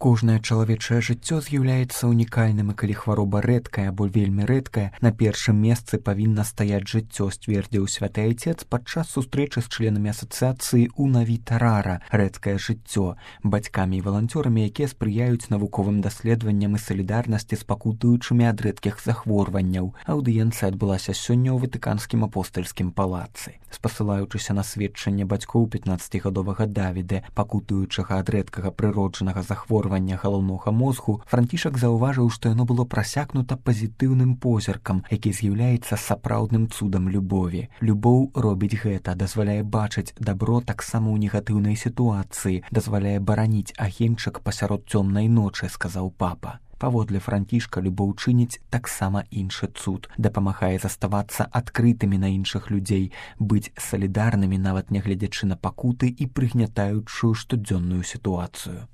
Кожнае чалавечае жыццё з'яўляецца ўнікальным, і калі хвароба рэдкая або вельмі рэдкая, на першым месцы павінна стаяць жыццё, сцвердзіў святы айцец падчас сустрэчы з членамі асацыяцыі «Una vita rara» рэдкае жыццё, бацькамі і валанцёрамі, якія спрыяюць навуковым даследаванням і салідарнасці з пакутуючымі ад рэдкіх захворванняў. Аўдыенцыя адбылася сёння ў Ватыканскім апостальскім палацы. Спасылаючыся на сведчанне бацькоў 15гадовага Давіда, пакутуючага ад рэдкага прыроджанага захворвання галаўнога мозгу, Францішак заўважыў, што яно было прасякнута пазітыўным позіркам, які з'яўляецца сапраўдным цудам любові. Любоў робіць гэта, дазваляе бачыць дабро таксама ў негатыўнай сітуацыі, дазваляе бараніць агеньчык пасярод цёмнай ночы, сказаў папа. Паводле Францішка любоў чыніць таксама іншы цуд, дапамагае заставацца адкрытымі на іншых людзей, быць салідарнымі нават нягледзячы на пакуты і прыгнятаючую штодзённую сітуацыю.